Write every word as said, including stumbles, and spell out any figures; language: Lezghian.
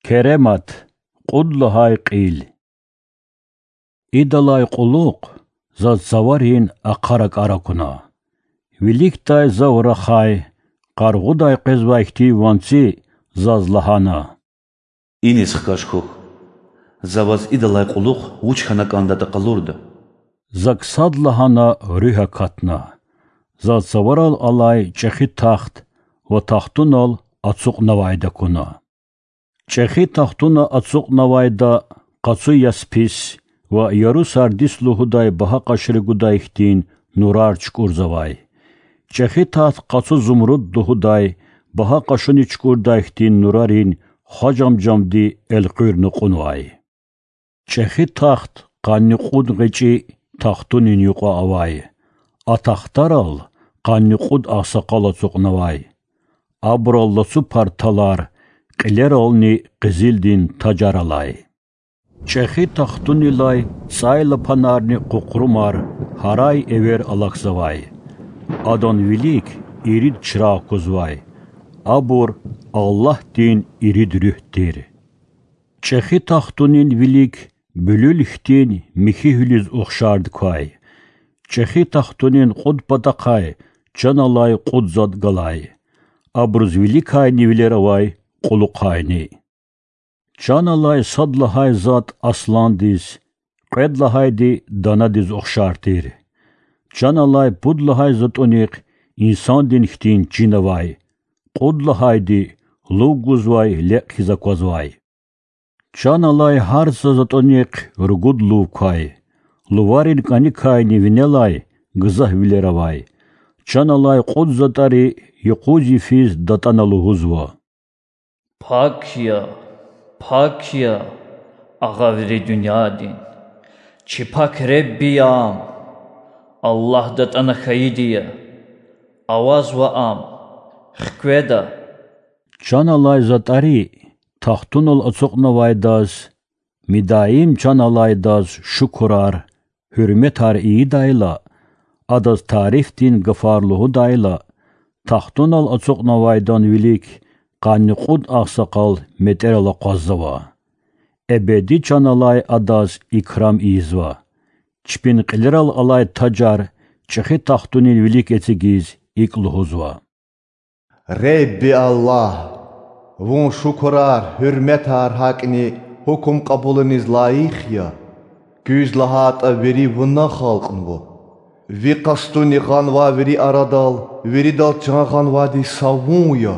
Керемат, кьуд лагьай кьил. Идалай кьулухъ заз цаварин ахъа ракӀар акуна. Виликдай зав рахай, къаргъудай къвезвай хьтин ванци заз лагьана: Иниз хкаж хьухь. За ваз идалай кьулухъ вуч хьана кӀандатӀа къалурда. Зак садлагьана руьгь акатна. Заз цаварал алай чӀехи тахт ва тахтунал ацукьнавайди акуна. ЧӀехи тахтуна ацукьнавайда къацу яспис ва яру сардис лугьудай багьа къашри гудай хьтин нурар чукӀурзавай. ЧӀехи тахт къацу зумруд лугьудай багьа къашуни чукӀурдай хьтин нурарин хважамжамди элкъуьрна кьунвай. ЧӀехи тахт къанни кьуд гъвечӀи тахтунин юкьва авай. А тахтарал къанни кьуд агъсакъал ацукьнавай. Абурал лацу парталар, кьилерални къизилдин тажар алай. ЧӀехи тахтунилай цӀайлапанарни къукърумар гьарай-эвер алахьзавай. Адан вилик ирид чрагъ кузвай. Абур Аллагьдин ирид руьгь тир. ЧӀехи тахтунин вилик буьлуьл хьтин михьи гьуьлуьз ухшарди квай. ЧӀехи тахтунин кьуд патахъай чан алай кьуд затӀ галай. Абуруз виликайни вилер авай, кьулухъайни. Чан алай сад лагьай затӀ асландиз, кьвед лагьайди данадиз ухшар тир. Чан алай пуд лагьай затӀунихъ инсандин хьтин чин авай, кьуд лагьайди лув гузвай лекь хьиз аквазвай. Чан алай гьар са затӀунихъ ругуд лув квай. Луварин кӀаникайни винелай гзаф вилер авай. Чан алай кьуд затӀари юкъуз йифиз датӀана лугьузва: Пак я, пак я агъа вири дуьньядин, чи пак Ребби я ам, Аллагь датӀана хьайиди я, авазва ам, хкведа. Чан алай затӀари тахтунал ацукьнавайдаз, мидаим чан алайдаз шукурар, гьуьрметар ийидайла, адаз тарифдин гафар лугьудайла, тахтунал ацукьнавайдан вилик къанни кьуд агъсакъал метӀерал акъваззава. Эбеди чан алай адаз икрам ийизва. Чпин кьилерал алай тажар чӀехи тахтунин вилик эцигиз икӀ лугьузва: Ребби Аллагь, вун шукурар, гьуьрметар гьакӀни гьукум кьабулуниз лайих я. Куьз лагьайтӀа вири вуна халкьнава. Ви къастуни гъанвай вири арадал виридал чан гъанвайди са вун я.